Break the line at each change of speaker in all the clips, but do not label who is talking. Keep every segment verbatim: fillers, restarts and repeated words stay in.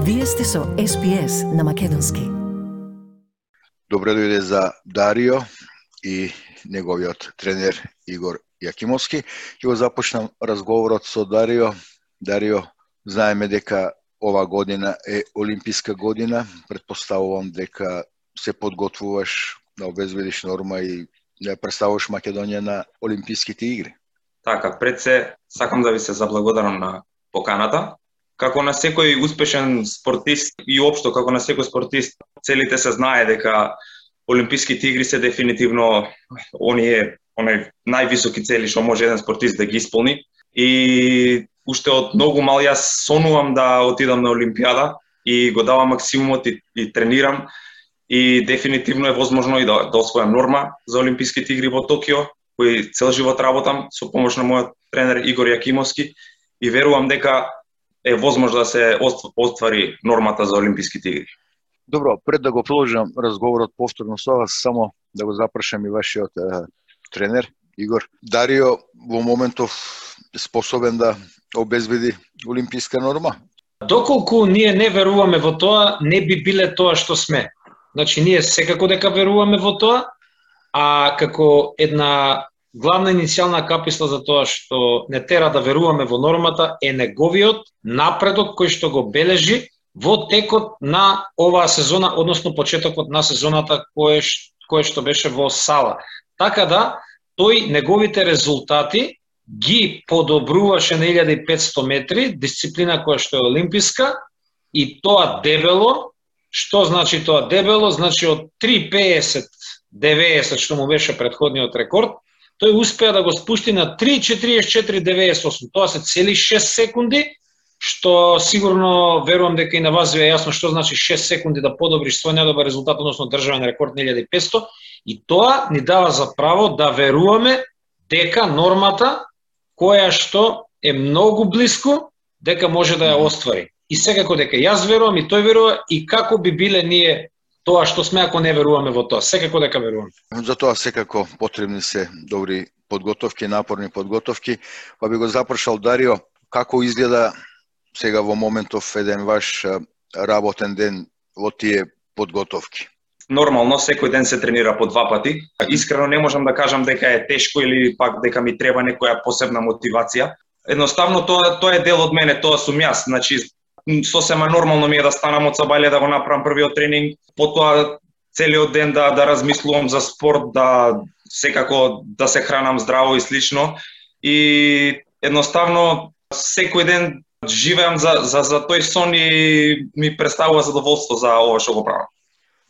Вие сте со Ес Би Ес на македонски.
Добре дојде за Дарио и неговиот тренер Игор Јакимовски. Ќе го започнам разговорот со Дарио. Дарио, знаеме дека ова година е олимписка година. Предпоставувам дека се подготвуваш да обезбедиш норма и да представуваш Македонија на олимписките игри.
Така, пред се сакам да ви се заблагодарам на поканата. Како на секој успешен спортист и општо како на секој спортист, целите се знае дека олимписките игри се дефинитивно оние онај највисоки цели што може еден спортист да ги исполни. И уште од многу мал јас сонувам да отидам на Олимпијада и го давам максимумот и, и тренирам. И дефинитивно е возможно и да, да освојам норма за олимписките игри во Токио, кој цел живот работам со помош на мојот тренер Игор Јакимовски и верувам дека е возможно да се оствари нормата за олимписките игри.
Добро, пред да го продолжам разговорот повторно со вас, само да го запрашам и вашиот е, тренер Игор. Дарио во моментов способен да обезбеди олимписка норма?
Доколку ние не веруваме во тоа, не би биле тоа што сме. Значи, ние секако дека веруваме во тоа, а како една главна иницијална каписла за тоа што не тера да веруваме во нормата е неговиот напредок кој што го бележи во текот на оваа сезона, односно почетокот на сезоната кое, кое што беше во Сала. Така да, тој неговите резултати ги подобруваше на илјада и петсто метри, дисциплина која што е олимписка, и тоа дебело. Што значи тоа дебело? Значи од три педесет деведесет што му беше претходниот рекорд, тој успеа да го спусти на три четиридесет и четири деведесет и осум. Тоа се цели шест секунди, што сигурно верувам дека и на вас ви е јасно што значи шест секунди да подобриш свој недобар резултат, односно државен рекорд на илјада и петсто, и тоа ни дава за право да веруваме дека нормата која што е многу блиску, дека може да ја оствари. И секако дека јас верувам и тој верува, и како би биле ние тоа што сме ако не веруваме во тоа. Секако дека верувам.
За тоа секако потребни се добри подготовки, напорни подготовки. Па би го запрашал Дарио, како изгледа сега во моментов еден ваш работен ден во тие подготовки?
Нормално, секој ден се тренира по два пати. Искрено не можам да кажам дека е тешко или пак дека ми треба некоја посебна мотивација. Едноставно тоа тоа е дел од мене, тоа сум јас. Значи сосема нормално ми е да станам од сабајле да го направам првиот тренинг, потоа целиот ден да да размислувам за спорт, да секако да се хранам здраво и слично. И едноставно секој ден живеам за за за тој сон и ми представува задоволство за ова што го правам.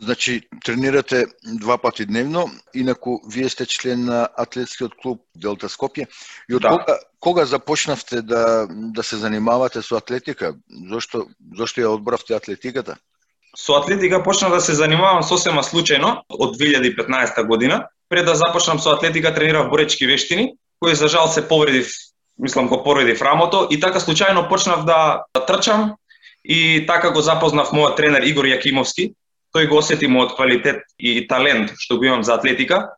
Значи, тренирате два пати дневно, инаку вие сте член на атлетскиот клуб Делта Скопје. И од да. кога, кога започнавте да да се занимавате со атлетика? Зошто зошто ја одбравте атлетиката?
Со атлетика почнав да се занимавам сосема случајно од две илјади и петнаесета година. Пред да започнам со атлетика тренирав боречки вештини, кои за жал се повредив, мислам го повредив рамото, и така случајно почнав да, да трчам и така го запознав мојот тренер Игор Јакимовски. Тој го осети мојот квалитет и талент што го имам за атлетика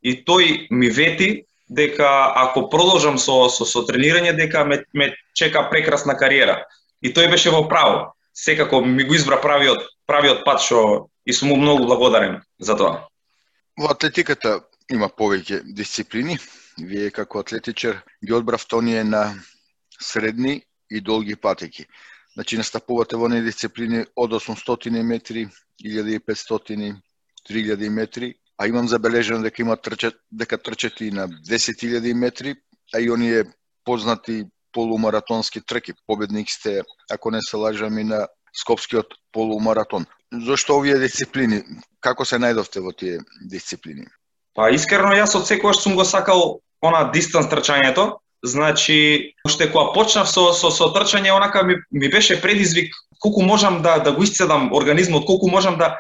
и тој ми вети дека ако продолжам со со, со тренирање дека ме, ме чека прекрасна кариера. И тој беше во право. Секако ми го избра правиот правиот пат што и сум му многу благодарен за тоа.
Во атлетиката има повеќе дисциплини. Вие како атлетичар ги одбравте оние на средни и долги патеки. Значи настапувате во оние дисциплини од осумстотини метри, илјада и петстотини, три илјади метри, а имам забележено дека има трчат, дека трчат и на десет илјади метри, а и оние познати полумаратонски трки. Победник сте, ако не се лажам, и на Скопскиот полумаратон. Зошто овие дисциплини? Како се најдовте во тие дисциплини?
Па искрено јас од секогаш сум го сакал она дистанс трчањето. Значи, уште кога почнав со со со трчање, онака ми, ми беше предизвик колку можам да да го исцедам организмот, колку можам да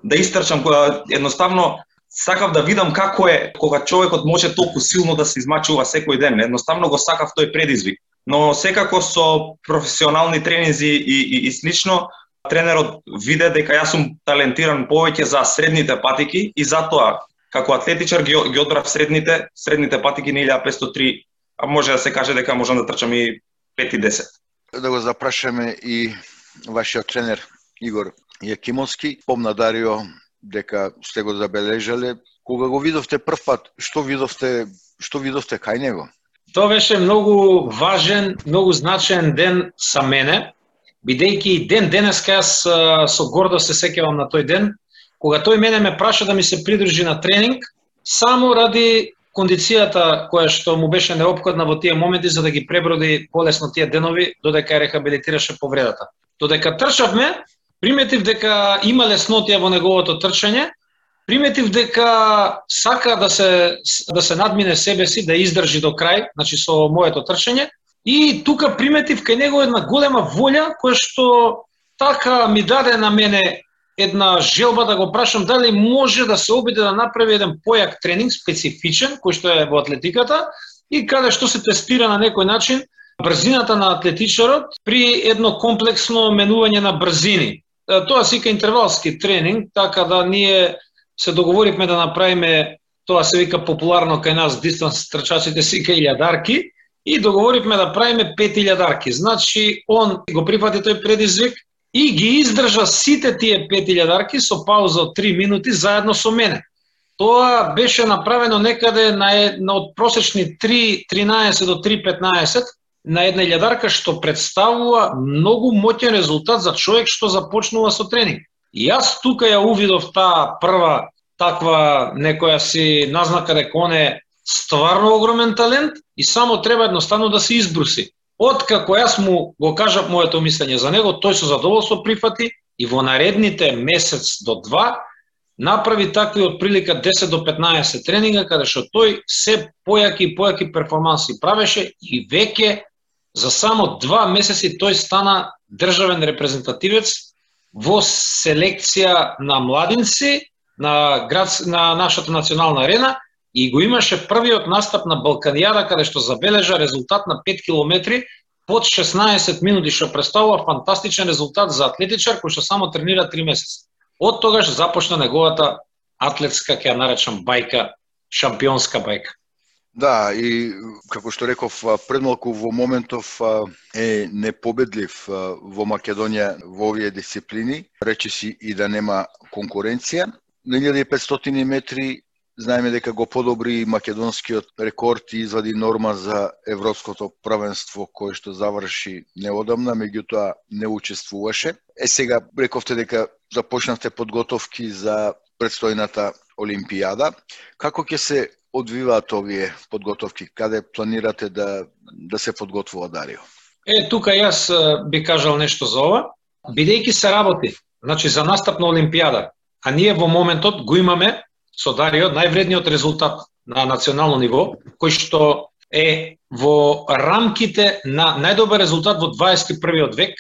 да истрчам, кога едноставно сакав да видам како е кога човекот може толку силно да се измачува секој ден. Едноставно го сакав тој предизвик. Но секако со професионални тренинзи и и, и слично, тренерот виде дека јас сум талентиран повеќе за средните патики и затоа како атлетичар ги ги одбрав средните средните патики на илјада и петсто три, а може да се каже дека можам да трчам и пет и десет.
Да го запрашаме и вашиот тренер Игор Јакимовски. Помна Дарио дека сте го забележале. Кога го видовте прв пат, што видовте, што видовте кај него?
Тоа беше многу важен, многу значаен ден за мене, бидејќи ден денеска јас со гордост се сеќавам на тој ден, кога тој мене ме праша да ми се придружи на тренинг, само ради кондицијата која што му беше неопходна во тие моменти за да ги преброди полесно тие денови додека рехабилитираше повредата. Додека трчавме, приметив дека има леснотија во неговото трчање, приметив дека сака да се да се надмине себе си, да издржи до крај, значи со моето трчање, и тука приметив кај него една голема волја која што така ми даде на мене една желба да го прашам дали може да се обиде да направи еден појак тренинг специфичен кој што е во атлетиката и каде што се тестира на некој начин брзината на атлетичарот при едно комплексно менување на брзини. Тоа се вика интервалски тренинг, така да ние се договоривме да направиме, тоа се вика популарно кај нас дистанс трчачите се вика илјадарки, и договоривме да правиме пет илјадарки. Значи он го прифати тој предизвик и ги издржа сите тие пет илјадарки со пауза од три минути заедно со мене. Тоа беше направено некаде на, на од просечни три тринаесет до три петнаесет на една илјадарка, што представува многу моќен резултат за човек што започнува со тренинг. И јас тука ја увидов таа прва таква некоја си назнака дека он е стварно огромен талент и само треба едноставно да се избруси. Откако јас му го кажав моето мислење за него, тој со задоволство прифати и во наредните месец до два направи такви од прилика десет до петнаесет тренинга, каде што тој се појаки и појаки перформанси правеше и веќе за само два месеци тој стана државен репрезентативец во селекција на младинци на, град, на нашата национална арена и го имаше првиот настап на Балканијада, каде што забележа резултат на пет километри под шеснаесет минути, што представува фантастичен резултат за атлетичар кој што само тренира три месеци. Од тогаш започна неговата атлетска, ќе ја наречам бајка, шампионска бајка.
Да, и како што реков предмалку во моментов е непобедлив во Македонија во овие дисциплини, речиси и да нема конкуренција. На илјада и петстотини метри знаеме дека го подобри македонскиот рекорд и извади норма за европското првенство кој што заврши неодамна, меѓутоа не учествуваше. Е сега рековте дека започнавте подготовки за предстојната Олимпијада. Како ќе се одвиваат овие подготовки? Каде планирате да да се подготвува Дарио?
Е, тука јас би кажал нешто за ова. Бидејќи се работи, значи за настап на Олимпијада, а ние во моментот го имаме со Дарио највредниот резултат на национално ниво, кој што е во рамките на најдобар резултат во дваесет и првиот век,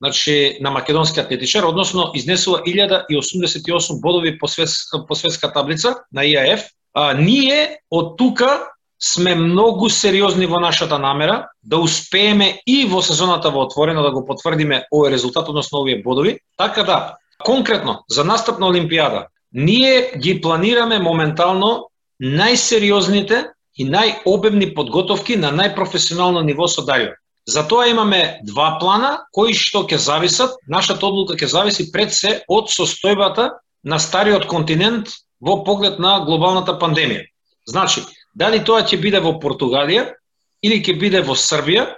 значи на македонски атлетичар, односно изнесува илјада и осумдесет и осум бодови по, свет, по светска таблица на И А Ф. А, ние од тука сме многу сериозни во нашата намера да успееме и во сезоната во отворено да го потврдиме овој резултат, односно овие бодови. Така да, конкретно за настап на Олимпијада, ние ги планираме моментално најсериозните и најобемни подготовки на најпрофесионално ниво со Дарио. Затоа имаме два плана кои што ќе зависат, нашата одлука ќе зависи пред се од состојбата на стариот континент во поглед на глобалната пандемија. Значи, дали тоа ќе биде во Португалија или ќе биде во Србија,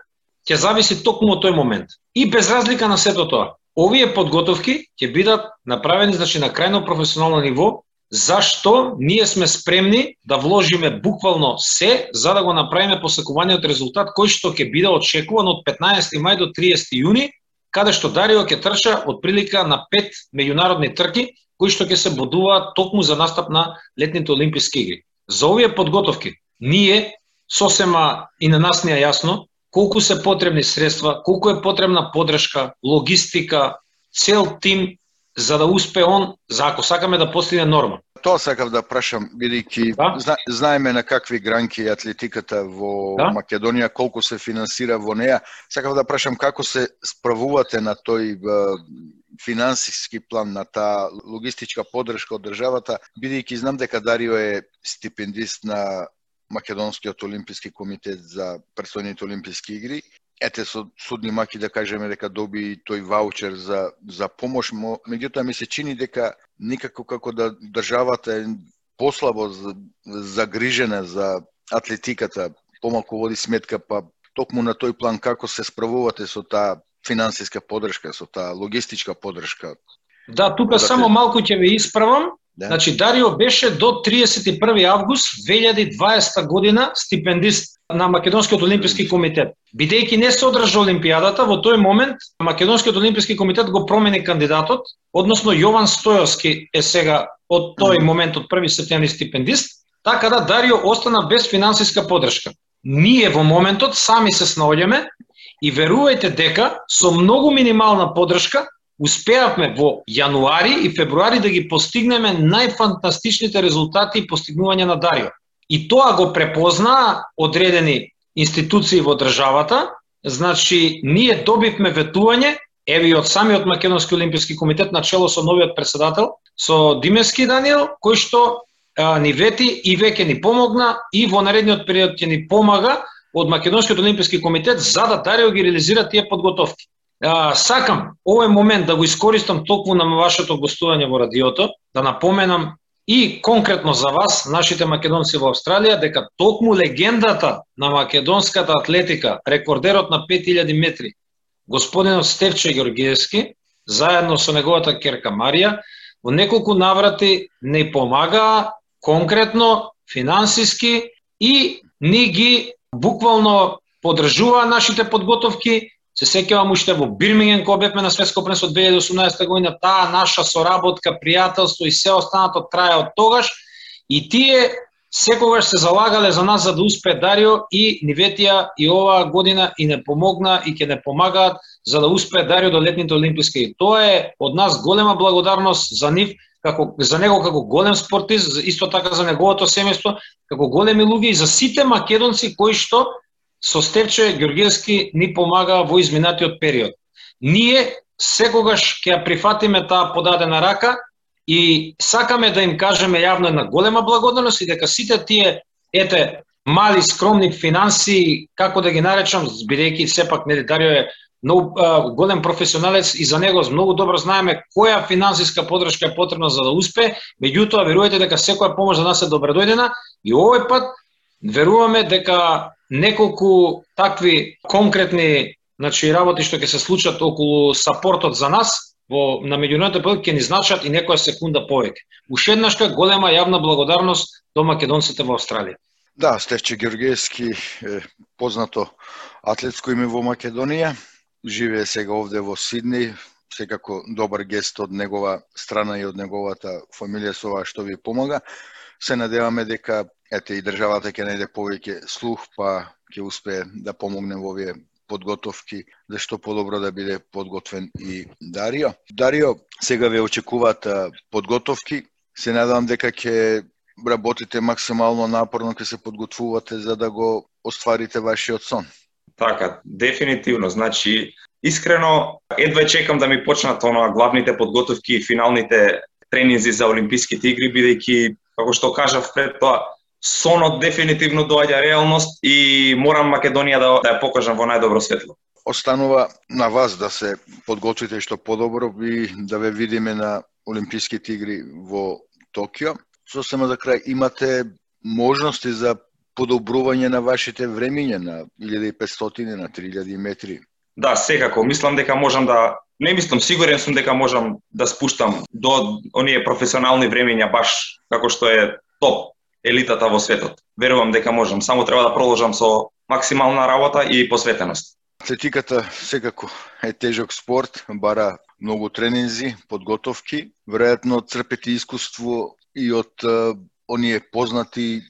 ќе зависи токму од тој момент. И без разлика на сето тоа, овие подготовки ќе бидат направени значи на крајно професионално ниво, зашто ние сме спремни да вложиме буквално се за да го направиме посекуваниот резултат кој што ќе биде очекуван од петнаесети мај до триесети јуни, каде што Дарио ќе трча од прилика на пет меѓународни трки кои што ќе се бодуваат токму за настап на летните олимписки игри. За овие подготовки ние сосема и на нас не е јасно колку се потребни средства, колку е потребна подршка, логистика, цел тим за да успее он, за ако сакаме да постигне норма.
Тоа сакав да прашам, бидејќи да? зна, знаеме на какви гранки е атлетиката во да? Македонија, колку се финансира во неа. Сакав да прашам како се справувате на тој финансиски план, на таа логистичка подршка од државата, бидејќи знам дека Дарио е стипендист на Македонскиот олимписки комитет за предстојните олимписки игри. ете со судни маки да кажеме дека доби тој ваучер за за помош, меѓутоа ми се чини дека никако како да државата е послабо загрижена за атлетиката, помалку води сметка, па токму на тој план како се справувате со таа финансиска поддршка, со таа логистичка поддршка.
Да, тука да само те... малку ќе ве исправам.
Да.
Значи Дарио беше до триесет и први август две илјади и дваесета година стипендист на Македонскиот олимписки комитет. Бидејќи не се одржа олимпијадата, во тој момент Македонскиот олимписки комитет го промени кандидатот, односно Јован Стојовски е сега од тој момент од први септември стипендист, така да Дарио остана без финансиска поддршка. Ние во моментот сами се снаоѓаме и верувајте дека со многу минимална поддршка успеавме во јануари и февруари да ги постигнеме најфантастичните резултати и постигнувања на Дарио. И тоа го препознаа одредени институции во државата, значи ние добивме ветување, еве и од самиот Македонски олимписки комитет начело со новиот председател, со Димевски Даниел, кој што а, ни вети и веќе ни помогна и во наредниот период ќе ни помага од Македонскиот олимписки комитет за да Дарио ги реализира тие подготовки. А, сакам овој момент да го искористам токму на вашето гостување во радиото, да напоменам и конкретно за вас, нашите македонци во Австралија, дека токму легендата на македонската атлетика, рекордерот на пет илјади метри, господинот Стефче Ѓорѓиевски, заедно со неговата ќерка Марија, во неколку наврати не помагаа конкретно, финансиски и ни ги буквално поддржуваа нашите подготовки. Се сеќавам уште во Бирмингем кога бевме на светско првенство две илјади и осумнаесета година, таа наша соработка, пријателство и се останато трае од тогаш и тие секогаш се залагале за нас за да успее Дарио и ни ветија и оваа година и не помогна и ќе не помагаат за да успее Дарио до летните олимписки. И тоа е од нас голема благодарност за нив, како за него како голем спортист, исто така за неговото семејство, како големи луѓе и за сите македонци кои што со Стефче Ѓорѓиевски ни помага во изминатиот период. Ние секогаш ќе ја прифатиме таа подадена рака и сакаме да им кажеме јавно една голема благодарност и дека сите тие ете мали скромни финанси, како да ги наречам, бидејќи сепак нели Дарио е многу голем професионалец и за него многу добро знаеме која финансиска поддршка е потребна за да успее, меѓутоа верувајте дека секоја помош за нас е добредојдена и овој пат веруваме дека неколку такви конкретни значи работи што ќе се случат околу сапортот за нас во на меѓународните проекти ќе ни значат и некоја секунда повеќе. Уште еднашка голема јавна благодарност до македонците во Австралија.
Да, Стефче Ѓорѓиевски е познато атлетско име во Македонија, живее сега овде во Сидни, секако добар гест од негова страна и од неговата фамилија со ова што ви помага. Се надеваме дека ете и државата ќе најде повеќе слух, па ќе успее да помогне во овие подготовки, зашто подобро да биде подготвен и Дарио. Дарио, сега ве очекуваат подготовки. Се надевам дека ќе работите максимално напорно, ќе се подготвувате за да го остварите вашиот сон.
Така, дефинитивно. Значи, искрено, едва чекам да ми почнат онаа главните подготовки и финалните тренинзи за Олимписките игри, бидејќи, како што кажав пред тоа, сонот дефинитивно доаѓа реалност и морам Македонија да, да ја покажам во најдобро светло.
Останува на вас да се подготвите што подобро и да ве видиме на Олимписките игри во Токио. Сосема за крај, имате можности за подобрување на вашите времиња на илјада и петстотини, на три илјади метри?
Да, секако. Мислам дека можам да... Не мислам, сигурен сум дека можам да спуштам до оние професионални времиња баш како што е топ елитата во светот. Верувам дека можам, само треба да продолжам со максимална работа и посветеност.
Атлетиката секако е тежок спорт, бара многу тренинзи, подготовки, веројатно црпете искуство и од uh, оние познати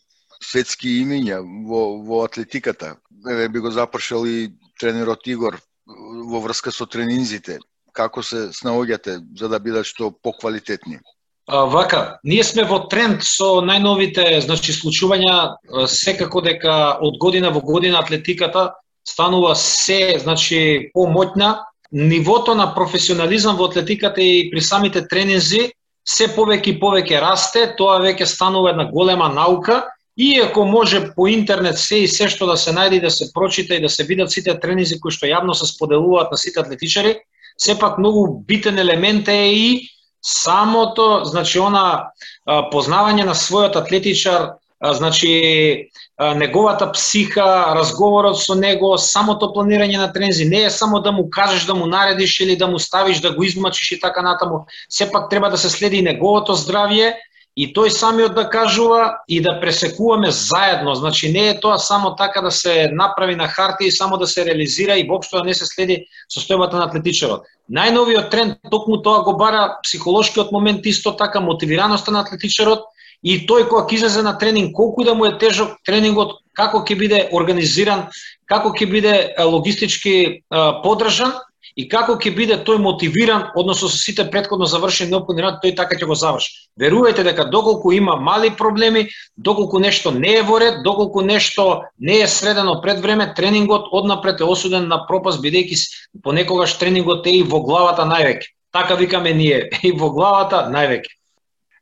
светски имиња во, во атлетиката. Еве би го запршал и тренерот Игор во врска со тренинзите. Како се снаоѓате за да бидат што поквалитетни?
А, вака, ние сме во тренд со најновите значи случувања, секако дека од година во година атлетиката станува се значи помоќна. Нивото на професионализам во атлетиката и при самите тренинзи се повеќе и повеќе расте, тоа веќе станува една голема наука Иако може по интернет се и се што да се најде, да се прочита и да се видат сите тренинзи кои што јавно се споделуваат на сите атлетичари, сепак многу битен елемент е и самото, значи, она познавање на својот атлетичар, значи, неговата психа, разговорот со него, самото планирање на тренинзи, не е само да му кажеш, да му наредиш или да му ставиш, да го измачиш и така натаму, сепак треба да се следи и неговото здравје, и тој самиот да кажува и да пресекуваме заедно. Значи не е тоа само така да се направи на хартија и само да се реализира и воопшто да не се следи состојбата на атлетичарот. Најновиот тренд токму тоа го бара психолошкиот момент, исто така мотивираноста на атлетичарот и тој кога ќе излезе на тренинг, колку да му е тежок тренингот, како ќе биде организиран, како ќе биде логистички подржан и како ќе биде тој мотивиран, односно со сите претходно завршени неопходни работи, тој така ќе го заврши. Верувајте дека доколку има мали проблеми, доколку нешто не е во ред, доколку нешто не е средено пред време, тренингот однапред е осуден на пропаст, бидејќи понекогаш тренингот е и во главата највеќе. Така викаме ние, и во главата највеќе.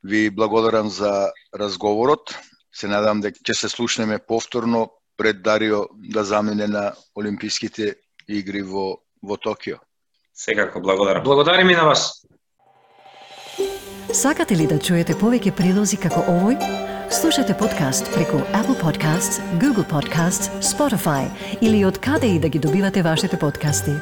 Ви благодарам за разговорот. Се надам дека ќе се слушнеме повторно пред Дарио да замине на Олимписките игри во во Токио.
Секако, благодарам.
Благодарим и на вас.
Сакате ли да чуете повеќе прилози како овој? Слушате подкаст преку Apple Podcasts, Google Podcasts, Spotify или од каде и да ги добивате вашите подкасти.